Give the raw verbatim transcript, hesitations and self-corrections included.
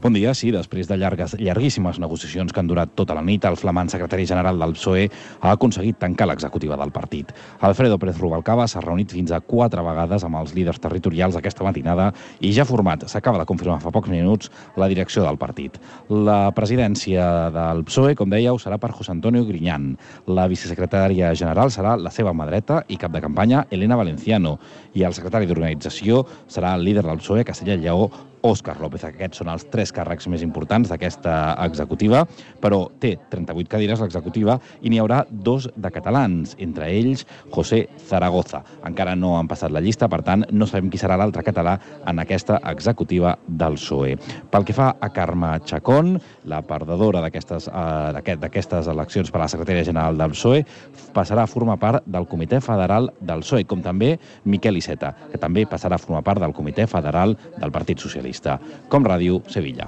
Bon dia. Sí, després de llargues, llarguíssimes negociacions que han durat tota la nit, el flamant secretari general del P S O E ha aconseguit tancar l'executiva del partit. Alfredo Pérez Rubalcaba s'ha reunit fins a quatre vegades amb els líders territorials aquesta matinada i ja ha format, s'acaba de confirmar fa pocs minuts, la direcció del partit. La presidència del P S O E, com dèieu, serà per José Antonio Griñán. La vicesecretària general serà la seva mà dreta i cap de campanya, Elena Valenciano. I el secretari d'organització serà el líder del P S O E, Castella i Lleó, Òscar López. Aquests són els tres càrrecs més importants d'aquesta executiva, però té trenta-vuit cadires l'executiva i n'hi haurà dos de catalans, entre ells José Zaragoza. Encara no han passat la llista, per tant, no sabem qui serà l'altre català en aquesta executiva del P S O E. Pel que fa a Carme Chacón, la perdedora d'aquestes eh, d'aquestes eleccions per a la secretària general del P S O E, passarà a formar part del Comitè Federal del P S O E, com també Miquel Iceta, que també passarà a formar part del Comitè Federal del Partit Socialista. Com Ràdio, Sevilla.